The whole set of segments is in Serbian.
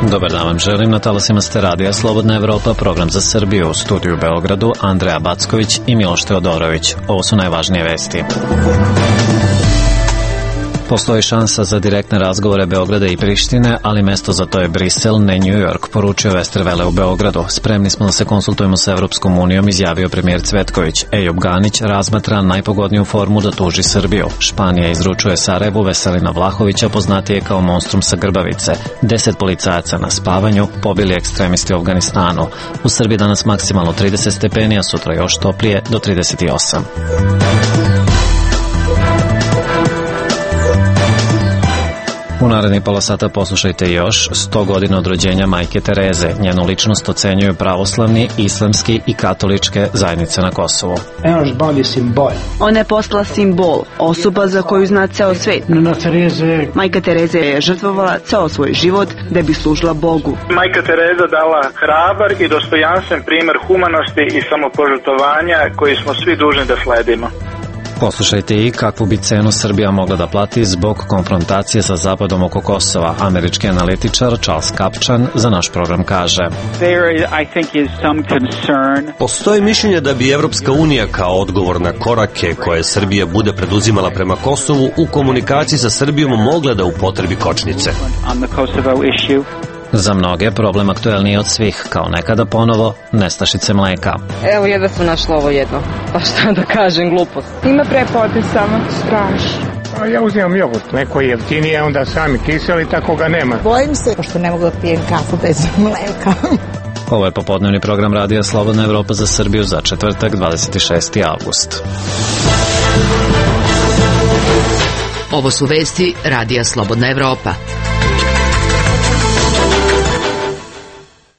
Dobar dan vam želim, na talasima ste radija Slobodna Evropa, program za Srbiju, u studiju u Beogradu, Andreja Backović i Miloš Teodorović. Ovo su najvažnije vesti. Postoji šansa za direktne razgovore Beograda i Prištine, ali mesto za to je Brisel, ne New York, poručio Westerwelle u Beogradu. Spremni smo da se konsultujemo sa Evropskom unijom, izjavio premijer Cvetković. Ejub Ganić razmatra najpogodniju formu da tuži Srbiju. Španija izručuje Sarajevu Veselina Vlahovića, poznatije kao monstrum sa Grbavice. 10 policajaca na spavanju, pobili ekstremisti u Afganistanu. U Srbiji danas maksimalno 30 stepeni, a sutra još toplije do 38. U narednih pola sata poslušajte još 100 godina od rođenja Majke Tereze. Njenu ličnost ocenjuju pravoslavni, islamski i katoličke zajednice na Kosovu. Ona je postala simbol, osoba za koju zna ceo svet. Majka Tereza je žrtvovala ceo svoj život da bi služila Bogu. Majka Tereza dala hrabar i dostojanstven primer humanosti i samopožrtvovanja koji smo svi dužni da sledimo. Poslušajte i kakvu bi cenu Srbija mogla da plati zbog konfrontacije sa Zapadom oko Kosova. Američki analitičar Charles Kapčan za naš program kaže: Postoji mišljenje da bi Evropska unija kao odgovor na korake koje Srbija bude preduzimala prema Kosovu u komunikaciji sa Srbijom mogla da upotrebi kočnice. Za mnoge problem aktuelniji od svih, kao nekada ponovo nestašice mleka. Evo jedva sam našla ovo jedno, pa šta da kažem, glupost. Ima prepodne samo, strašno. Ja uzimam jogurt, neko je jeftinije, onda sami kiseli, tako ga nema. Bojim se, pošto ne mogu da pijem kafu bez mleka. Ovo je popodnevni program radija Slobodna Evropa za Srbiju za četvrtak, 26. avgust. Ovo su vesti radija Slobodna Evropa.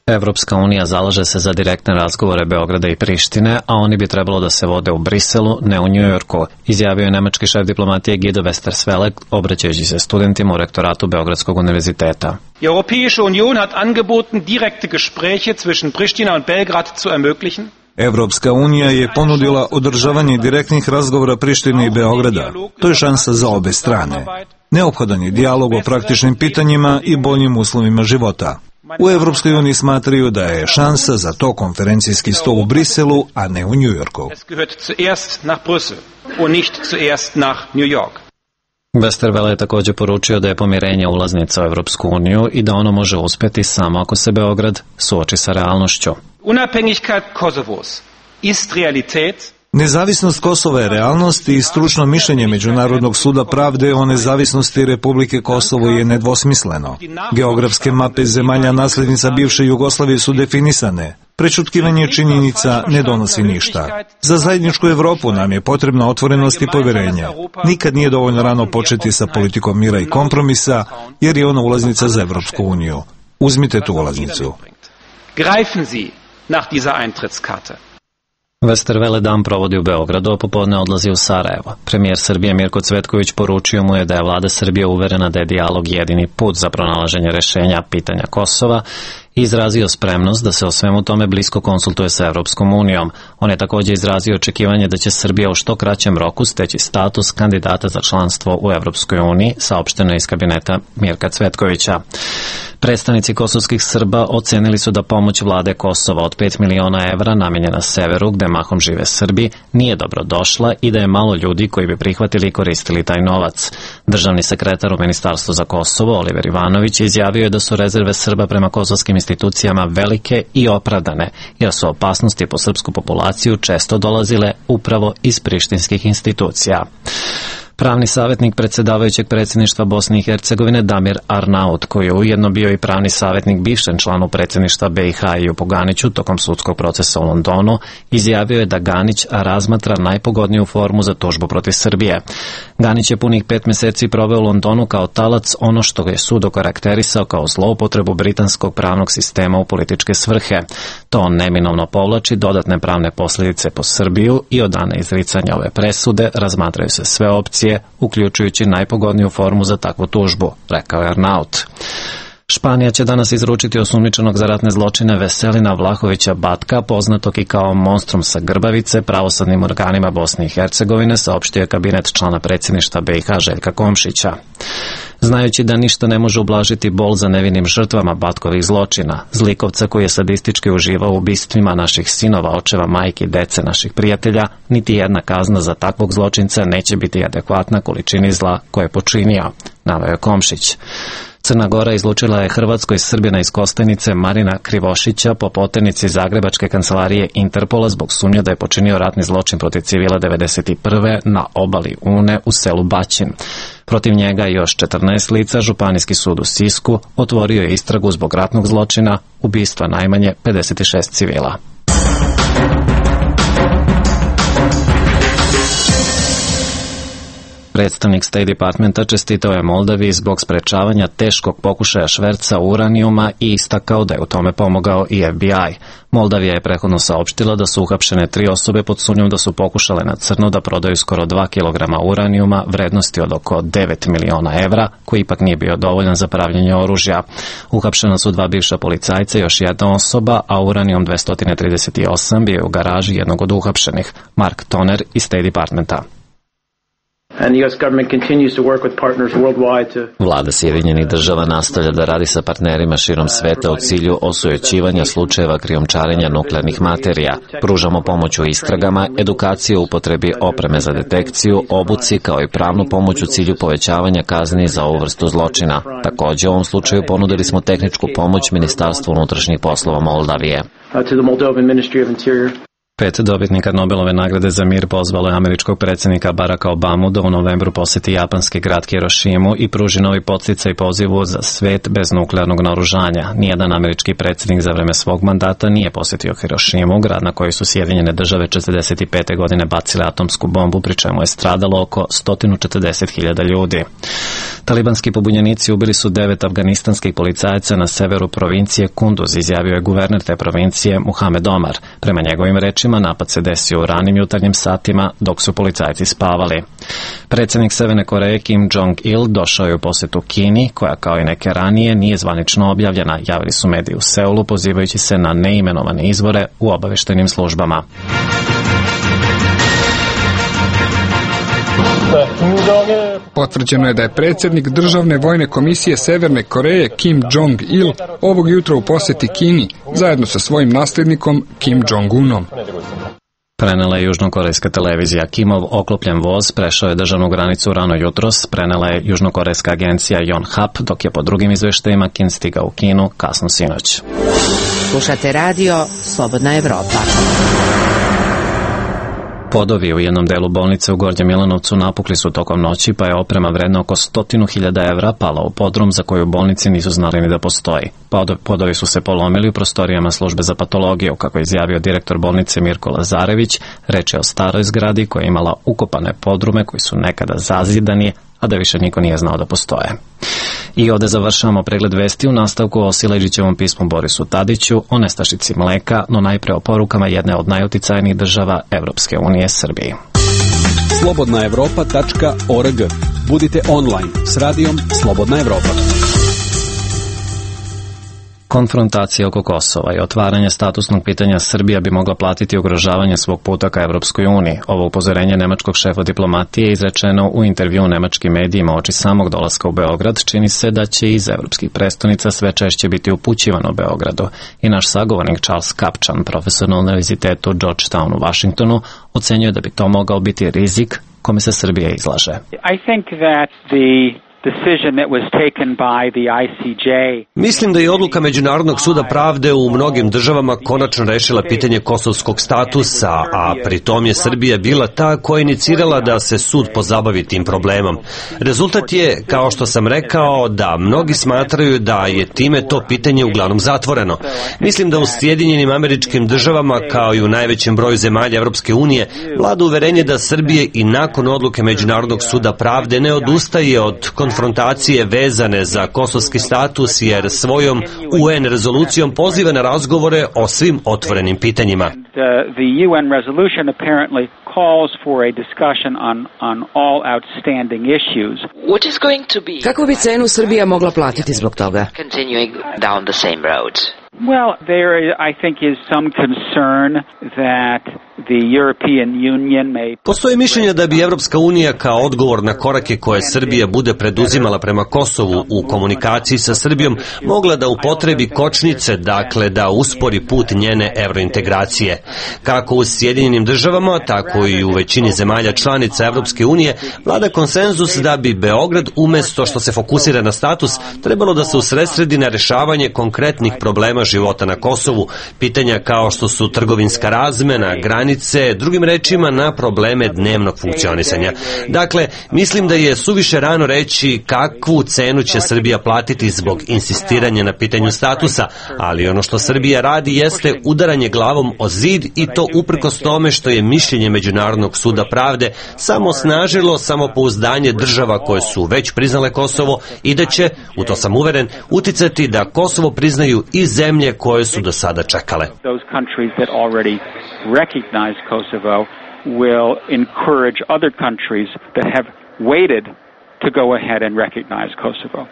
Evropska unija zalaže se za direktne razgovore Beograda i Prištine, a oni bi trebalo da se vode u Briselu, ne u Njujorku, izjavio je nemački šef diplomatije Guido Westerwelle, obraćajući se studentima u rektoratu Beogradskog univerziteta. Die Europäische Union hat angeboten, direkte Gespräche zwischen Pristina und Belgrad zu ermöglichen. Evropska unija je ponudila održavanje direktnih razgovora Prištine i Beograda. To je šansa za obe strane. Neophodan je dijalog o praktičnim pitanjima i boljim uslovima života. U Evropskoj uniji smatraju da je šansa za to konferencijski stol u Briselu, a ne u Njujorku. Westerwelle je također poručio da je pomirenje ulaznica u Evropsku uniju i da ono može uspjeti samo ako se Beograd suoči sa realnošću. Unabhängigkeit Kosovos ist Realität. Nezavisnost Kosova je realnost i stručno mišljenje Međunarodnog suda pravde o nezavisnosti Republike Kosovo je nedvosmisleno. Geografske mape zemalja naslednica bivše Jugoslavije su definisane. Prečutkivanje činjenica ne donosi ništa. Za zajedničku Evropu nam je potrebna otvorenost i poverenje. Nikad nije dovoljno rano početi sa politikom mira i kompromisa, jer je ona ulaznica za Evropsku uniju. Uzmite tu ulaznicu. Greifen Sie nach dieser Eintrittskarte. Westerwelle dan provodi u Beogradu, a popodne odlazi u Sarajevo. Premijer Srbije Mirko Cvetković poručio mu je da je vlada Srbije uverena da je dijalog jedini put za pronalaženje rešenja pitanja Kosova i izrazio spremnost da se o svemu tome blisko konsultuje sa Evropskom unijom. On je također izrazio očekivanje da će Srbija u što kraćem roku steći status kandidata za članstvo u Evropskoj uniji, saopšteno iz kabineta Mirka Cvetkovića. Predstavnici kosovskih Srba ocenili su da pomoć vlade Kosova od 5 miliona evra namenjena severu, gde mahom žive Srbi, nije dobro došla i da je malo ljudi koji bi prihvatili i koristili taj novac. Državni sekretar u Ministarstvu za Kosovo, Oliver Ivanović, izjavio je da su rezerve Srba prema kosovskim institucijama velike i opravdane, jer su opasnosti po srpsku populaciju često dolazile upravo iz prištinskih institucija. Pravni savjetnik predsjedavajućeg predsjedništva Bosne i Hercegovine Damir Arnaut, koji je ujedno bio i pravni savjetnik bivšem članu predsjedništva BiH Ejubu Ganiću tokom sudskog procesa u Londonu, izjavio je da Ganić razmatra najpogodniju formu za tužbu protiv Srbije. Ganić je punih 5 mjeseci proveo u Londonu kao talac ono što ga je sud okarakterisao kao zloupotrebu britanskog pravnog sistema u političke svrhe. To neminovno povlači dodatne pravne posljedice po Srbiju i od dana izricanja ove presude razmatraju se sve opcije, uključujući najpogodniju formu za takvu tužbu, rekao je Arnaut. Španija će danas izručiti osumnjičenog za ratne zločine Veselina Vlahovića Batka, poznatog i kao monstrum sa Grbavice, pravosudnim organima Bosne i Hercegovine, saopštio je kabinet člana predsjedništva BiH Željka Komšića. Znajući da ništa ne može ublažiti bol za nevinim žrtvama Batkovih zločina, zlikovca koji je sadistički uživao u ubistvima naših sinova, očeva, majki, dece naših prijatelja, niti jedna kazna za takvog zločinca neće biti adekvatna količini zla koje je počinio, naveo je Komšić. Crna Gora izlučila je Hrvatskoj Srbina iz Kostajnice Marina Krivošića po poternici Zagrebačke kancelarije Interpola zbog sumnje da je počinio ratni zločin protiv civila 1991. na obali Une u selu Baćin. Protiv njega i još 14 lica Županijski sud u Sisku otvorio je istragu zbog ratnog zločina, ubistva najmanje 56 civila. Predstavnik State Departmenta čestitao je Moldaviji zbog sprečavanja teškog pokušaja šverca uranijuma i istakao da je u tome pomogao i FBI. Moldavija je prethodno saopštila da su uhapšene 3 osobe pod sumnjom da su pokušale na crno da prodaju skoro 2 kg uranijuma vrednosti od oko 9 miliona evra, koji ipak nije bio dovoljan za pravljenje oružja. Uhapšena su 2 bivša policajca i još jedna osoba, a uranijum 238 bio je u garaži jednog od uhapšenih, Mark Toner iz State Departmenta. Vlada Sjedinjenih Država nastavlja da radi sa partnerima širom sveta u cilju osujećivanja slučajeva krijumčarenja nuklearnih materija. Pružamo pomoć u istragama, edukaciju u upotrebi opreme za detekciju, obuci kao i pravnu pomoć u cilju povećavanja kazni za ovu vrstu zločina. Također u ovom slučaju ponudili smo tehničku pomoć Ministarstvu unutrašnjih poslova Moldavije. 5 dobitnika Nobelove nagrade za mir pozvalo je američkog predsjednika Baracka Obamu da u novembru posjeti japanski grad Hirošimu i pruži novi podsticaj pozivu za svet bez nuklearnog naoružanja. Nijedan američki predsjednik za vreme svog mandata nije posjetio Hirošimu, grad na koji su Sjedinjene Države 1945. godine bacile atomsku bombu, pri čemu je stradalo oko 140.000 ljudi. Talibanski pobunjenici ubili su 9 afganistanskih policajaca na severu provincije Kunduz, izjavio je guverner te provincije Muhamed Omar. Prema njegovim rečima, napad se desio u ranim jutarnjim satima dok su policajci spavali. Predsjednik Severne Koreje Kim Jong-il došao je u posjetu Kini, koja kao i neke ranije nije zvanično objavljena, javili su mediji u Seulu pozivajući se na neimenovane izvore u obavještajnim službama. Potvrđeno je da je predsjednik Državne vojne komisije Severne Koreje Kim Jong-il ovog jutra u posjeti Kini zajedno sa svojim nasljednikom Kim Jong-unom. Prenela je južnokorejska televizija. Kimov oklopljen voz prešao je državnu granicu rano jutros, prenela je južnokorejska agencija Yonhap, dok je po drugim izveštajima Kim stigao u Kinu kasno sinoć. Slušate radio Slobodna Evropa. Podovi u jednom delu bolnice u Gornjem Milanovcu napukli su tokom noći, pa je oprema vredna oko 100.000 evra pala u podrum za koju u bolnici nisu znali ni da postoji. Podovi su se polomili u prostorijama službe za patologiju, kako je izjavio direktor bolnice Mirko Lazarević. Reč je o staroj zgradi koja je imala ukopane podrume koji su nekada zazidani, a da više niko nije znao da postoje. I ovde završavamo pregled vesti u nastavku o Sileđićevom pismu Borisu Tadiću, o nestašici mleka, no najpre o porukama jedne od najuticajnijih država Evropske unije, Srbiji. slobodnaevropa.org. Budite online s radijom Slobodna Evropa. Konfrontacija oko Kosova i otvaranje statusnog pitanja Srbija bi mogla platiti ugrožavanje svog puta ka Evropskoj uniji. Ovo upozorenje nemačkog šefa diplomatije je izrečeno u intervju nemačkim medijima oči samog dolaska u Beograd. Čini se da će iz evropskih prestonica sve češće biti upućivano Beogradu. I naš sagovornik Charles Kapčan, profesor na univerzitetu Georgetown u Washingtonu, ocenjuje da bi to mogao biti rizik kome se Srbija izlaže. I think that Mislim da je odluka Međunarodnog suda pravde u mnogim državama konačno rešila pitanje kosovskog statusa, a pritom je Srbija bila ta koja je inicirala da se sud pozabavi tim problemom. Rezultat je, kao što sam rekao, da mnogi smatraju da je time to pitanje uglavnom zatvoreno. Mislim da u Sjedinjenim Američkim Državama, kao i u najvećem broju zemalja Evropske unije, vlada uverenje da Srbije i nakon odluke Međunarodnog suda pravde ne odustaje od konfrontacije vezane za kosovski status, jer svojom UN rezolucijom poziva na razgovore o svim otvorenim pitanjima. The UN resolution apparently calls for a discussion on all outstanding issues. What is going to be? Kako bi cenu Srbija mogla platiti zbog toga? Continuing down the same roads. Well, there, I think, is some concern that the European Union may... Postoji mišljenje da bi Evropska unija kao odgovor na korake koje Srbija bude preduzimala prema Kosovu u komunikaciji sa Srbijom mogla da upotrebi kočnice, dakle da uspori put njene evrointegracije. Kako u Sjedinjenim državama, tako i u većini zemalja članica Evropske unije vlada konsenzus da bi Beograd umesto što se fokusira na status trebalo da se usredsredi na rešavanje konkretnih problema života na Kosovu, pitanja kao što su trgovinska razmena, granice, drugim rečima na probleme dnevnog funkcionisanja. Dakle, mislim da je suviše rano reći kakvu cenu će Srbija platiti zbog insistiranja na pitanju statusa, ali ono što Srbija radi jeste udaranje glavom o zid i to uprkos tome što je mišljenje Međunarodnog suda pravde samo osnažilo samopouzdanje država koje su već priznale Kosovo i da će, u to sam uveren, uticati da Kosovo priznaju i zemlje koje su do sada čekale. Those countries that already recognize Kosovo will encourage other countries that have waited to go ahead and recognize Kosovo.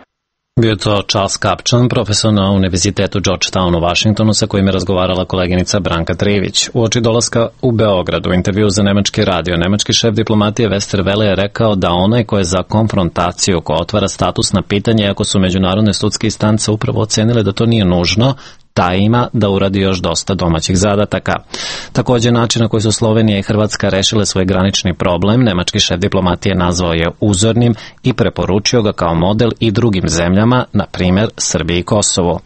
Bio je to Charles Kapčan, profesor na Univerzitetu Georgetown u Vašingtonu, sa kojim je razgovarala koleginica Branka Trivić. Uoči dolaska u Beograd u intervju za nemački radio, nemački šef diplomatije Westerwelle je rekao da onaj ko je za konfrontaciju, ko otvara statusna pitanja, iako su međunarodne sudske instance upravo ocenile da to nije nužno, taj ima da uradi još dosta domaćih zadataka. Također, način na koji su Slovenija i Hrvatska rešile svoj granični problem, nemački šef diplomatije nazvao je uzornim i preporučio ga kao model i drugim zemljama, na primjer Srbiji i Kosovo.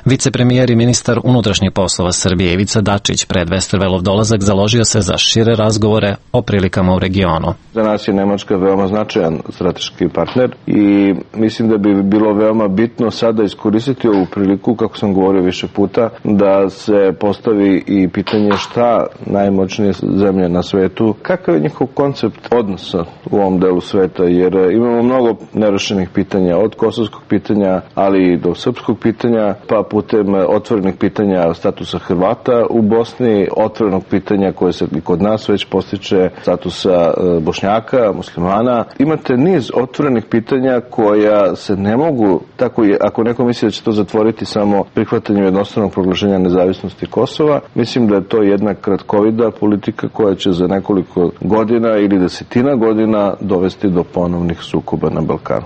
Vicepremijer i ministar unutrašnjih poslova Srbije Ivica Dačić pred Westerwellov dolazak založio se za šire razgovore o prilikama u regionu. Za nas je Nemačka veoma značajan strateški partner i mislim da bi bilo veoma bitno sada iskoristiti ovu priliku, kako sam govorio više puta, da se postavi i pitanje šta najmoćnije zemlje na svetu, kakav je njihov koncept odnosa u ovom delu sveta, jer imamo mnogo nerešenih pitanja, od kosovskog pitanja, ali i do srpskog pitanja, pa putem otvorenih pitanja statusa Hrvata u Bosni, otvorenog pitanja koje se i kod nas već postiče, statusa Bošnjaka, muslimana. Imate niz otvorenih pitanja koja se ne mogu, tako ako neko misli da će to zatvoriti samo prihvatanjem jednostavnog proglašenja nezavisnosti Kosova, mislim da je to jedna kratkovida politika koja će za nekoliko godina ili desetina godina dovesti do ponovnih sukoba na Balkanu.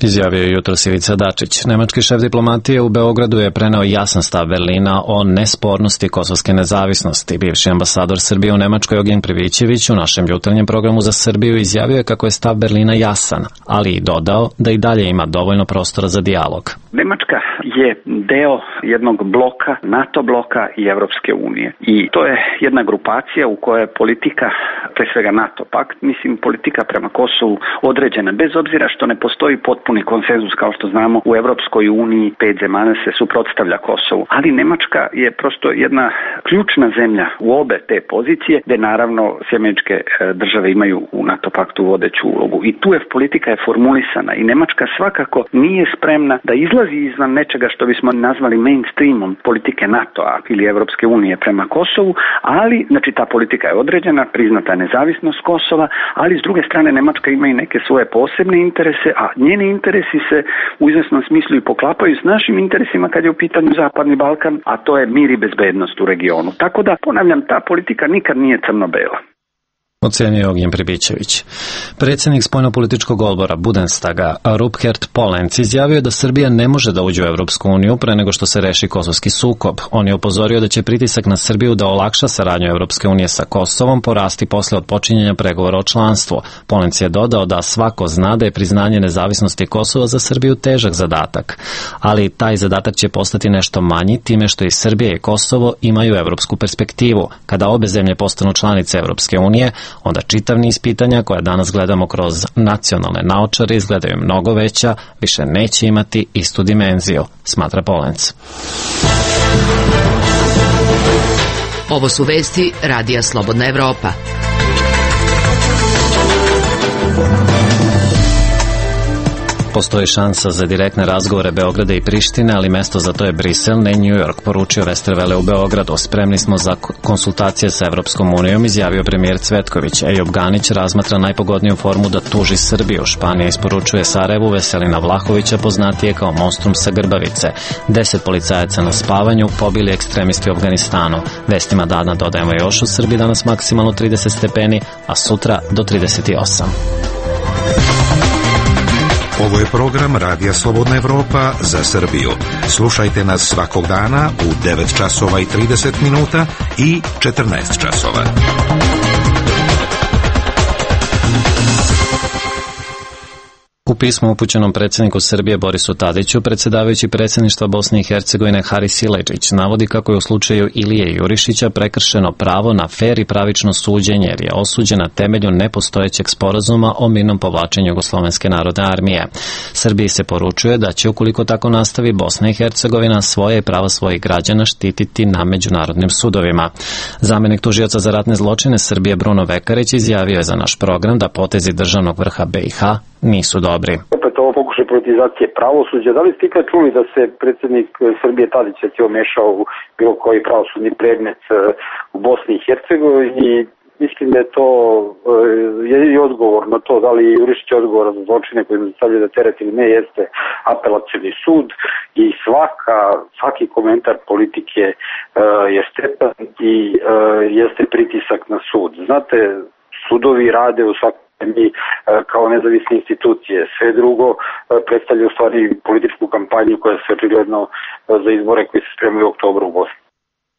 Izjavio je jutros Ivica Dačić. Nemački šef diplomatije u Beogradu je preneo jasan stav Berlina o nespornosti kosovske nezavisnosti. Bivši ambasador Srbije u Nemačkoj Ognjen Privićević u našem jutarnjem programu za Srbiju izjavio je kako je stav Berlina jasan, ali i dodao da i dalje ima dovoljno prostora za dijalog. Nemačka je deo jednog bloka, NATO bloka i Evropske unije. I to je jedna grupacija u kojoj je politika, pre svega NATO pakt, mislim politika prema Kosovu određena, bez obzira što ne postoji potpuni konsenzus, kao što znamo, u Evropskoj uniji 5 zemalja se suprotstavlja Kosovu. Ali Nemačka je prosto jedna ključna zemlja u obe te pozicije, gde naravno sjemeničke države imaju u NATO paktu vodeću ulogu. I tu je politika je formulisana i Nemačka svakako nije spremna da izlazi izvan nečega što bismo nazvali mainstreamom politike NATO-a ili Evropske unije prema Kosovu, ali znači ta politika je određena, priznata je nezavisnost Kosova, ali s druge strane Nemačka ima i neke svoje posebne interese, a njeni interesi se u izvesnom smislu i poklapaju s našim interesima kad je u pitanju Zapadni Balkan, a to je mir i bezbednost u regionu. Tako da, ponavljam, ta politika nikad nije crno-bela. Ocenio Ognjen Pribićević. Predsjednik spoljnopolitičkog odbora Bundestaga Rupert Polenc izjavio da Srbija ne može da uđe u Evropsku uniju pre nego što se reši kosovski sukob. On je upozorio da će pritisak na Srbiju da olakša saradnju Evropske unije sa Kosovom porasti posle otpočinjanja pregovora o članstvu. Polenc je dodao da svako zna da je priznanje nezavisnosti Kosova za Srbiju težak zadatak, ali taj zadatak će postati nešto manji time što i Srbija i Kosovo imaju evropsku perspektivu. Kada obe zemlje postanu članice Evropske unije, onda čitav niz pitanja koja danas gledamo kroz nacionalne naočare izgledaju mnogo veća, više neće imati istu dimenziju, smatra Polenc. Ovo su vesti Radija Slobodna Evropa. Postoji šansa za direktne razgovore Beograda i Prištine, ali mesto za to je Brisel, ne New York, poručio Westerwelle u Beogradu. Spremni smo za konsultacije sa Evropskom unijom, izjavio premijer Cvetković. Ejop Ganić razmatra najpogodniju formu da tuži Srbiju. Španija isporučuje Sarajevu Veselina Vlahovića, poznatije kao Monstrum sa Grbavice. 10 policajaca na spavanju pobili ekstremisti u Afganistanu. Vestima dana dodajemo još, u Srbiji danas maksimalno 30 stepeni, a sutra do 38. Ovo je program Radija Slobodna Evropa za Srbiju. Slušajte nas svakog dana u 9 časova i 30 minuta i 14 časova. U pismu upućenom predsjedniku Srbije Borisu Tadiću, predsjedavajući predsjedništva Bosne i Hercegovine Haris Siledžić navodi kako je u slučaju Ilije Jurišića prekršeno pravo na fer i pravično suđenje jer je osuđen na temelju nepostojećeg sporazuma o mirnom povlačenju Jugoslovenske narodne armije. Srbiji se poručuje da će, ukoliko tako nastavi, Bosna i Hercegovina svoje i prava svojih građana štititi na međunarodnim sudovima. Zamjenik tužioca za ratne zločine Srbije Bruno Vekarić izjavio je za naš program da potezi državnog vrha BiH nisu dobri. Opet ovo pokušaj politizacije pravosuđa. Da li ste ikad čuli da se predsjednik Srbije Tadić mešao u bilo koji pravosudni predmet u Bosni i Hercegovini? Mislim da je to jedini odgovor na to, da li Jurišić je odgovor za zločine koji mu stavljaju da teret ili ne, jeste apelacioni sud i svaki komentar politike je stepan i jeste pritisak na sud. Znate, sudovi rade u svakom mi kao nezavisne institucije. Sve drugo predstavlja u stvari političku kampanju koja se očigledno za izbore koji se spremaju u oktobru u Bosni.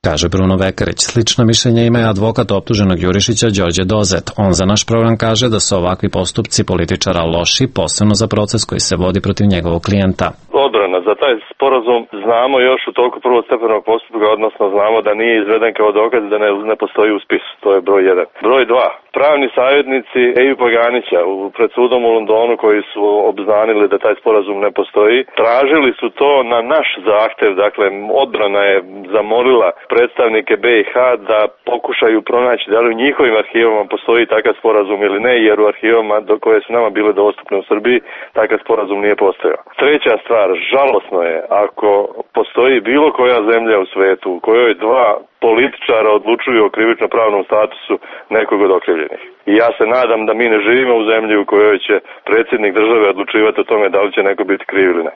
Kaže Bruno Vekarić. Slično mišljenje ima i advokat optuženog Jurišića Đorđe Dozet. On za naš program kaže da su ovakvi postupci političara loši, posebno za proces koji se vodi protiv njegovog klijenta. Odbrana za taj sporazum znamo još u toku prvostepenog postupka, odnosno znamo da nije izveden kao dokaz da ne postoji u spisu. To je broj 1. Broj 2. Pravni savjetnici Ejupa Ganića pred sudom u Londonu koji su obznanili da taj sporazum ne postoji, tražili su to na naš zahtev. Dakle, odbrana je zamolila predstavnike BiH da pokušaju pronaći da li u njihovim arhivama postoji takav sporazum ili ne, jer u arhivama koje su nama bile dostupne u Srbiji takav sporazum nije postojao. Treća stvar, žalosno je ako postoji bilo koja zemlja u svetu u kojoj dva političara odlučuju o krivično-pravnom statusu nekog od okrivljenih. I ja se nadam da mi ne živimo u zemlji u kojoj će predsjednik države odlučivati o tome da li će neko biti kriv ili ne.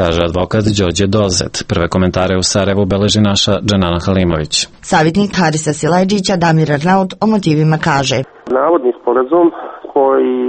Kaže advokat Đorđe Dozet. Prve komentare u Sarajevu beleži naša Dženana Halimović. Savjetnik Harisa Siledžića Damir Arnaut o motivima kaže: navodni sporazum koji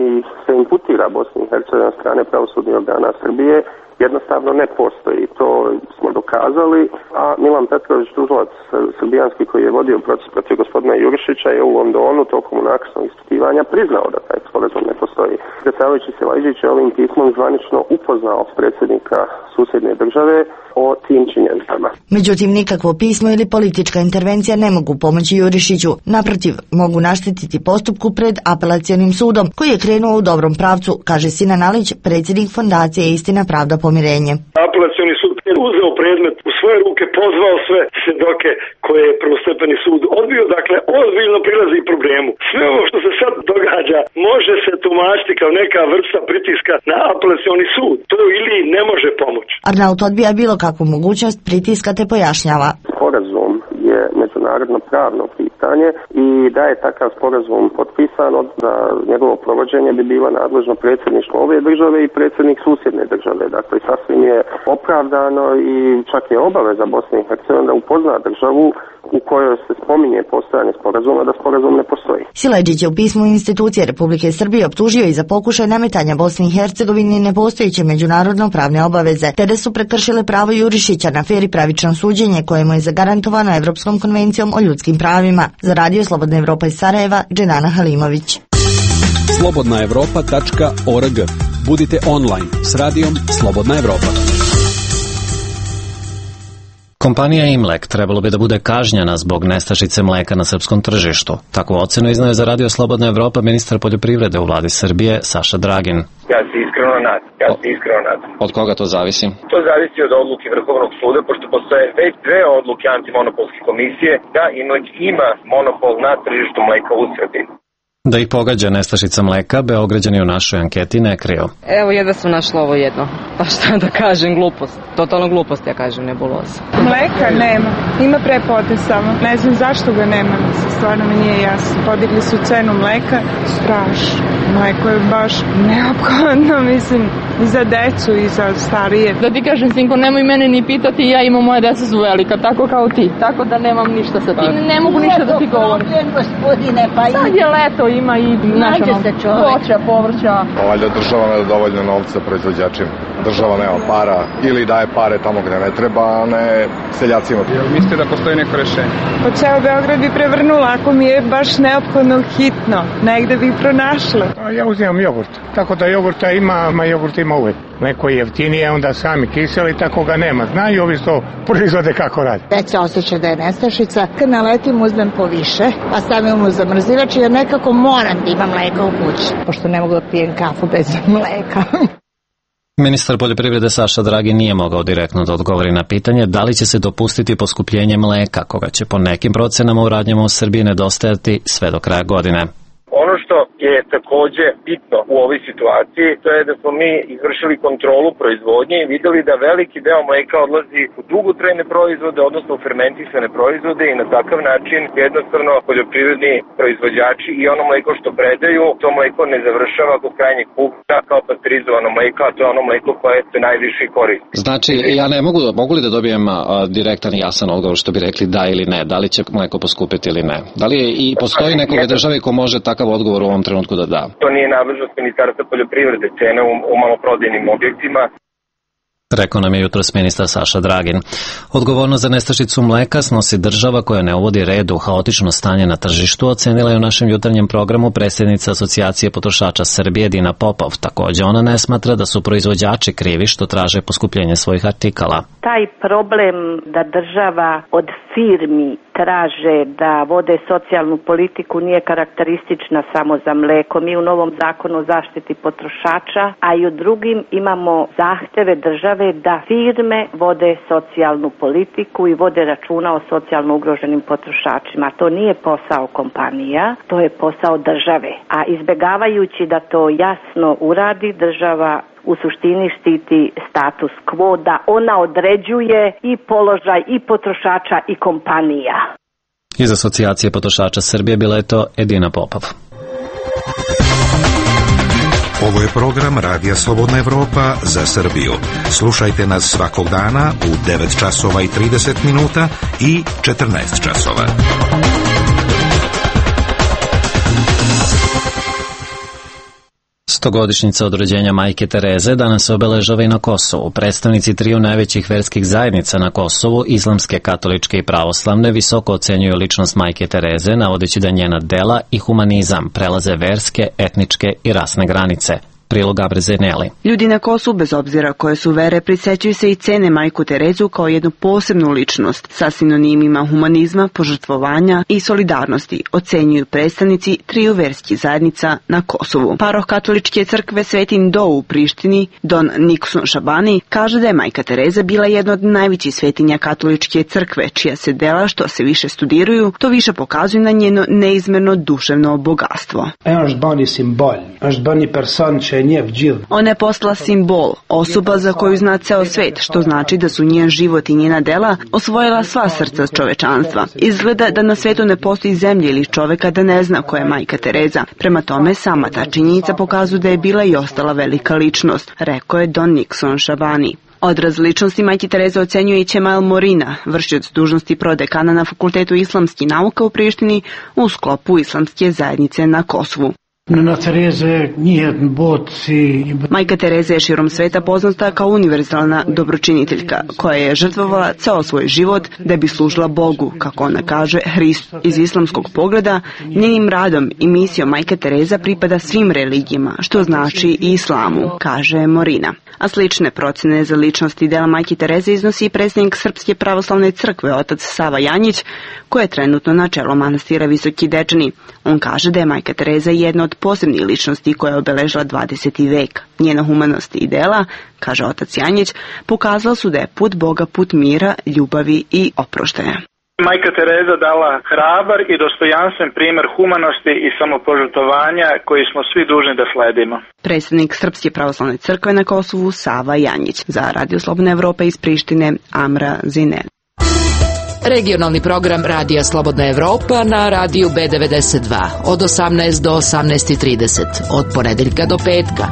se imputira Bosni i Hercegovini od strane pravosudnih organa Srbije jednostavno ne postoji. To smo dokazali, a Milan Petrović, tužilac srbijanski koji je vodio proces protiv gospodina Jurišića, je u Londonu tokom unakrsnog ispitivanja priznao da taj sporazum ne postoji. Predsjedavajući Siledžić je ovim pismom zvanično upoznao predsjednika susjedne države o tim činjenicama. Međutim, nikakvo pismo ili politička intervencija ne mogu pomoći Jurišiću. Naprotiv, mogu naštetiti postupku pred apelacionim sudom, koji je krenuo u dobrom pravcu, kaže Sinan Alić, predsjednik fondacije Istina, pravda, pomirenje. Apelacioni sud je uzeo predmet u svoje ruke, pozvao sve svjedoke koje je prvostepeni sud odbio, dakle ozbiljno prilazi problemu. Sve ovo što se sad događa može se tumačiti kao neka vrsta pritiska na apelacioni sud. To ili ne može pomoći. Arnaut odbija bilo kakvu mogućnost pritiska te pojašnjava: sporazum je međunarodno pravno pitanje i da je takav sporazum potpisan, da njegovo provođenje bi bilo nadležno predsjedništvo ove države i predsjednik susjedne države. Dakle, sasvim je opravdano i čak je obaveza Bosne i Hercegovine da upozna državu u kojoj se spominje postojanje sporazuma da sporazum ne postoji. Siledžić je u pismu institucije Republike Srbije optužio i za pokušaj nametanja Bosni i Hercegovini nepostojeće međunarodno pravne obaveze, te da su prekršile pravo Jurišića na fer i pravično suđenje koje mu je zagarantovano Evropskom konvencijom o ljudskim pravima. Za Radio Slobodna Evropa iz Sarajeva, Dženana Halimović. slobodnaevropa.org. Budite online s radijom Slobodna Evropa. Kompanija Imlek trebalo bi da bude kažnjena zbog nestašice mleka na srpskom tržištu. Takvu ocenu iznaje za Radio Slobodna Evropa ministar poljoprivrede u vladi Srbije Saša Dragin. Ja se iskreno nadam. Od koga to zavisi? To zavisi od odluke Vrhovnog suda, pošto postoje već 2 odluke antimonopolske komisije da Imlek ima monopol na tržištu mleka u Srbiji. Da ih pogađa nestašica mleka, Beograđani u našoj anketi ne kriju. Evo jedva sam našla ovo jedno. Pa šta da kažem, glupost. Totalno glupost, ja kažem, nebuloza. Mleka nema. Ima prepote samo. Ne znam zašto ga nema. Stvarno mi nije jasno. Podigli su cenu mleka. Strašno. Mleko je baš neophodno, mislim, i za decu i za starije. Da ti kažem, sinko, nemoj mene ni pitati, ja imam, moja deca su velika, tako kao ti. Tako da nemam ništa sa tim. Ne mogu ništa da ti govorim. Sad je leto, ima i voća, povrća. Valjda država ne da dovoljno novca proizvođačima. Država nema para ili daje pare tamo gde ne treba, a ne seljacima. Mislite da postoji neko rešenje? Pa ceo Beograd bi prevrnula ako mi je baš neophodno hitno. Negde bi pronašla. Ja uzimam jogurt. Tako da jogurta ima jogurt ima uvek. Neko je jeftinije, onda sami kiseli, tako ga nema. Znaju ovi što proizvode kako radi. Već se osjeća da je nestašica. Kad naletim uzmem po više, a stavim u zamrzivač jer nekako moram da imam mleka u kući. Pošto ne mogu da pijem kafu bez mleka. Ministar poljoprivrede Saša Dragin nije mogao direktno da odgovori na pitanje da li će se dopustiti poskupljenje mleka, koga će po nekim procenama u radnjama u Srbiji nedostajati sve do kraja godine. Ono što je takođe bitno u ovoj situaciji, to je da smo mi izvršili kontrolu proizvodnje i videli da veliki deo mleka odlazi u dugotrajne proizvode, odnosno u fermentisane proizvode i na takav način jednostavno poljoprivredni proizvođači i ono mleko što predaju, to mleko ne završava kod krajnjeg kupca kao pasterizovano mleko, a to je ono mleko koje se najviše koristi. Znači, ja ne mogu li da dobijem direktan i jasan odgovor što bi rekli da ili ne, da li će mleko poskupiti ili ne? Da li i postoji nekog države ko može takav odgovor u ovom trenutku da da? To nije nadležnost Ministarstva poljoprivrede, cene u maloprodajnim objektima. Rekao nam je jutros ministar Saša Dragin. Odgovornost za nestašicu mleka snosi država koja ne uvodi red u haotično stanje na tržištu, ocenila je u našem jutarnjem programu predsjednica Asocijacije potrošača Srbije Dina Popov. Također ona ne smatra da su proizvođači krivi što traže poskupljenje svojih artikala. Taj problem da država od firmi traže da vode socijalnu politiku nije karakteristična samo za mleko. Mi u novom zakonu o zaštiti potrošača, a i u drugim imamo zahteve države da firme vode socijalnu politiku i vode računa o socijalno ugroženim potrošačima. To nije posao kompanija, to je posao države. A izbjegavajući da to jasno uradi, država u suštini štiti status quo, da ona određuje i položaj i potrošača i kompanija. Iz Asocijacije potrošača Srbije bila je to Edina Popov. Ovo je program Radija Slobodna Evropa za Srbiju. Slušajte nas svakog dana u 9 časova i 30 minuta i 14 časova. Stogodišnjica od rođenja majke Tereze danas se obeležava i na Kosovu. Predstavnici triju najvećih verskih zajednica na Kosovu, islamske, katoličke i pravoslavne, visoko ocenjuju ličnost majke Tereze, navodeći da njena dela i humanizam prelaze verske, etničke i rasne granice. Prilog Gabriel Neli. Ljudi na Kosovu, bez obzira koje su vere, prisećuju se i cene majku Terezu kao jednu posebnu ličnost sa sinonimima humanizma, požrtvovanja i solidarnosti, ocenjuju predstavnici triju verskih zajednica na Kosovu. Paroh katoličke crkve Svetin Do u Prištini, Don Nikson Šabani, kaže da je majka Tereza bila jedna od najvećih svetinja katoličke crkve, čija se dela što se više studiraju, to više pokazuju na njeno neizmerno duševno bogatstvo. Ona je postala simbol, osoba za koju zna ceo svet, što znači da su njen život i njena dela osvojila sva srca čovečanstva. Izgleda da na svetu ne postoji zemlje ili čoveka da ne zna ko je majka Tereza. Prema tome, sama ta činjenica pokazuje da je bila i ostala velika ličnost, rekao je Don Nikson Šabani. Odraz ličnosti majke Tereze ocenjuje i Čemal Morina, vršioc dužnosti prodekana na Fakultetu islamskih nauka u Prištini u sklopu islamske zajednice na Kosovu. Majka Tereza je širom sveta poznata kao univerzalna dobročiniteljka, koja je žrtvovala ceo svoj život da bi služila Bogu, kako ona kaže, Hristu. Iz islamskog pogleda, njenim radom i misijom majka Tereza pripada svim religijama, što znači i islamu, kaže Morina. A slične procene za ličnost i dela majke Tereze iznosi i predsjednik Srpske pravoslavne crkve, otac Sava Janjić, koji je trenutno na čelu manastira Visoki Dečani. On kaže da je majka Tereza jedna od posebnih ličnosti koja je obeležila 20. vek. Njena humanost i dela, kaže otac Janjić, pokazala su da je put Boga put mira, ljubavi i oproštaja. Majka Tereza dala hrabar i dostojanstven primer humanosti i samopožrtvovanja koji smo svi dužni da sledimo. Predsjednik Srpske pravoslavne crkve na Kosovu Sava Janjić. Za Radio Slobodna Evropa iz Prištine Amra Zinen. Regionalni program Radija Slobodna Evropa na radiju B92 od 18 do 18:30 od ponedeljka do petka.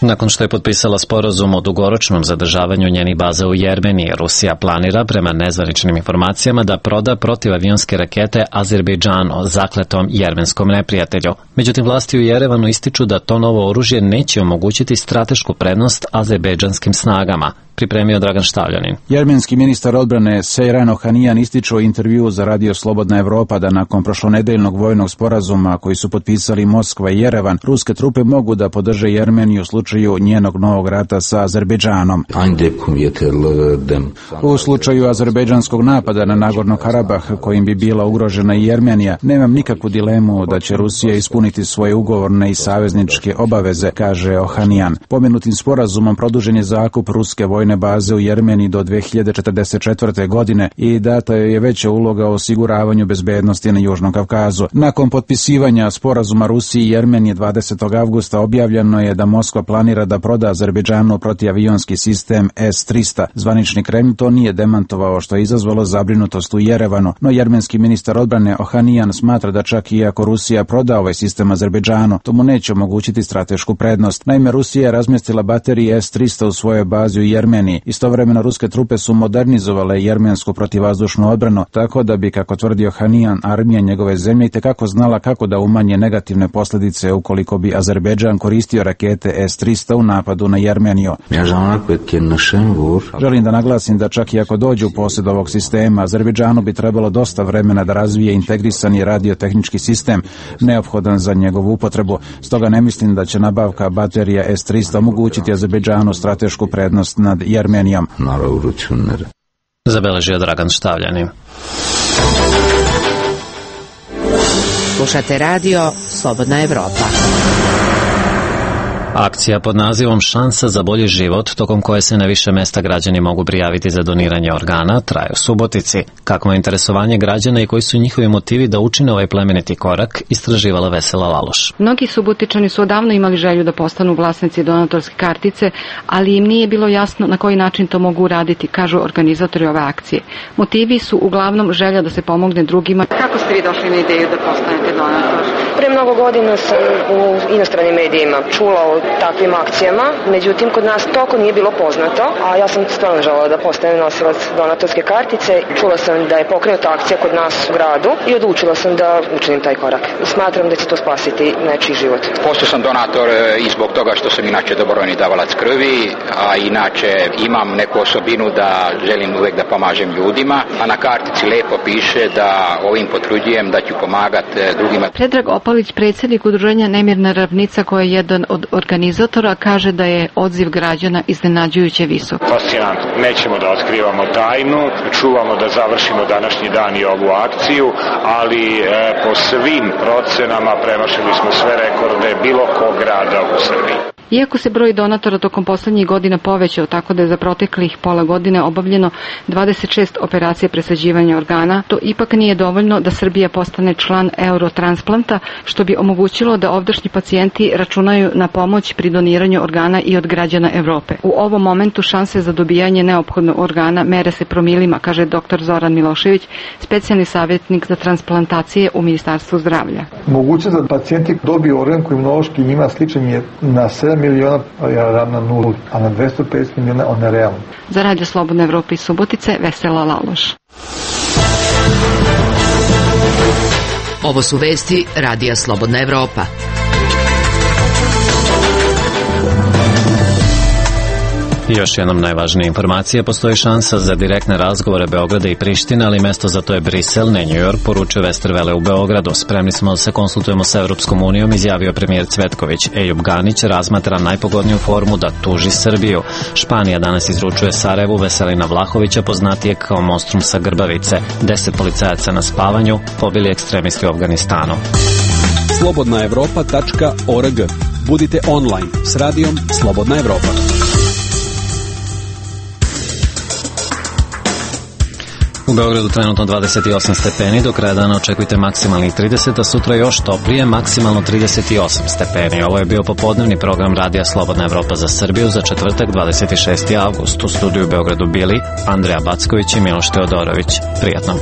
Nakon što je potpisala sporazum o dugoročnom zadržavanju njenih baza u Jermeniji, Rusija planira, prema nezvaničnim informacijama, da proda protivavionske rakete Azerbejdžanu, zakletom jermenskom neprijatelju. Međutim, vlasti u Jerevanu ističu da to novo oružje neće omogućiti stratešku prednost azerbejdžanskim snagama, pripremio Dragan Štavljanin. Jermenski ministar odbrane Sejran Ohanijan ističe u intervjuu za Radio Slobodna Evropa da nakon prošlonedeljnog vojnog sporazuma koji su potpisali Moskva i Jerevan, ruske trupe mogu da podrže Jermeniju u slučaju njenog novog rata sa Azerbejdžanom. U slučaju azerbejdžanskog napada na Nagorno Karabah, kojim bi bila ugrožena i Jermenija, nemam nikakvu dilemu da će Rusija ispuniti svoje ugovorne i savezničke obaveze, kaže Ohanijan. Pomenutim sporazumom produžen je zakup ruske vojne baze u Jermeniji do 2044. godine i data je veća uloga o osiguravanju bezbednosti na Južnom Kavkazu. Nakon potpisivanja sporazuma Rusiji i Jermenije 20. avgusta objavljeno je da Moskva planira da proda Azerbejdžanu protivavionski sistem S-300. Zvanični Kremlj to nije demantovao, što je izazvalo zabrinutost u Jerevanu, no jermenski ministar odbrane Ohanijan smatra da čak i ako Rusija proda ovaj sistem Azerbejdžanu, to mu neće omogućiti stratešku prednost. Naime, Rusija je razmjestila baterije S-300 u svojoj bazi u Jermeniji. Istovremeno ruske trupe su modernizovale jermensku protivvazdušnu odbranu, tako da bi, kako tvrdio Ohanijan, armija njegove zemlje itekako znala kako da umanje negativne posljedice ukoliko bi Azerbejdžan koristio rakete S-300 u napadu na Jermeniju. Želim da naglasim da čak i ako dođe u posjed ovog sistema, Azerbejdžanu bi trebalo dosta vremena da razvije integrisani radiotehnički sistem neophodan za njegovu upotrebu. Stoga ne mislim da će nabavka baterija S-300 omogućiti Azerbejdžanu stratešku prednost nad Jermenijom. Zabeležio Dragan Štavljanin. Slušate radio Slobodna Evropa. Akcija pod nazivom Šansa za bolji život, tokom koje se na više mesta građani mogu prijaviti za doniranje organa, traje u Subotici. Kakvo je interesovanje građana i koji su njihovi motivi da učine ovaj plemeniti korak, istraživala Vesela Laloš. Mnogi Subotičani su odavno imali želju da postanu vlasnici donatorske kartice, ali im nije bilo jasno na koji način to mogu uraditi, kažu organizatori ove akcije. Motivi su uglavnom želja da se pomogne drugima. Kako ste vi došli na ideju da postanete donator? Pre mnogo godina sam u inostranim medijima čula o takvim akcijama, međutim kod nas toliko nije bilo poznato, a ja sam stvarno želela da postanem nosilac donatorske kartice. Čula sam da je pokrenuta akcija kod nas u gradu i odlučila sam da učinim taj korak. Smatram da će to spasiti nečiji život. Postao sam donator i zbog toga što sam inače dobrovoljni davalac krvi, a inače imam neku osobinu da želim uvek da pomažem ljudima, a na kartici lepo piše da ovim potvrđujem da ću pomagati drugima. Predrag Opalić, predsjednik udruženja Nemirna ravnica, koji je jedan od organizatora, kaže da je odziv građana iznenađujuće visok. Fascinantno. Nećemo da otkrivamo tajnu, čuvamo da završimo današnji dan i ovu akciju, ali po svim procenama premašili smo sve rekorde bilo kog grada u Srbiji. Iako se broj donatora tokom poslednjih godina povećao tako da je za proteklih pola godine obavljeno 26 operacija presađivanja organa, to ipak nije dovoljno da Srbija postane član Eurotransplanta, što bi omogućilo da ovdašnji pacijenti računaju na pomoć pri doniranju organa i od građana Evrope. U ovom momentu šanse za dobijanje neophodnog organa mere se promilima, kaže dr. Zoran Milošević, specijalni savjetnik za transplantacije u Ministarstvu zdravlja. Mogućnost da pacijenti dobiju organ koji imunološki njima sličan je na 7 miliona, ja ravna 0, a na 250 miliona on je realno. Za Radio Slobodna Evropa iz Subotice, Vesela Laloš. Ovo su vesti Radija Slobodna Evropa. Još jednom najvažnija informacija, postoji šansa za direktne razgovore Beograda i Prištine, ali mesto za to je Brisel, ne New York, poručuje Westerwelle u Beogradu. Spremni smo da se konsultujemo sa Europskom unijom, izjavio premijer Cvetković. Ejub Ganić razmatra najpogodniju formu da tuži Srbiju. Španija danas izručuje Sarajevu Veselina Vlahovića, poznatijeg kao monstrum sa Grbavice. 10 policajaca na spavanju pobili ekstremisti u Afganistanu. slobodnaevropa.org. Budite online s radijom Slobodna Evropa. U Beogradu trenutno 28 stepeni, do kraja dana očekujte maksimalnih 30, a sutra još toplije, maksimalno 38 stepeni. Ovo je bio popodnevni program Radija Slobodna Evropa za Srbiju za četvrtak 26. avgust. U studiju u Beogradu bili Andreja Backović i Miloš Teodorović. Prijatno.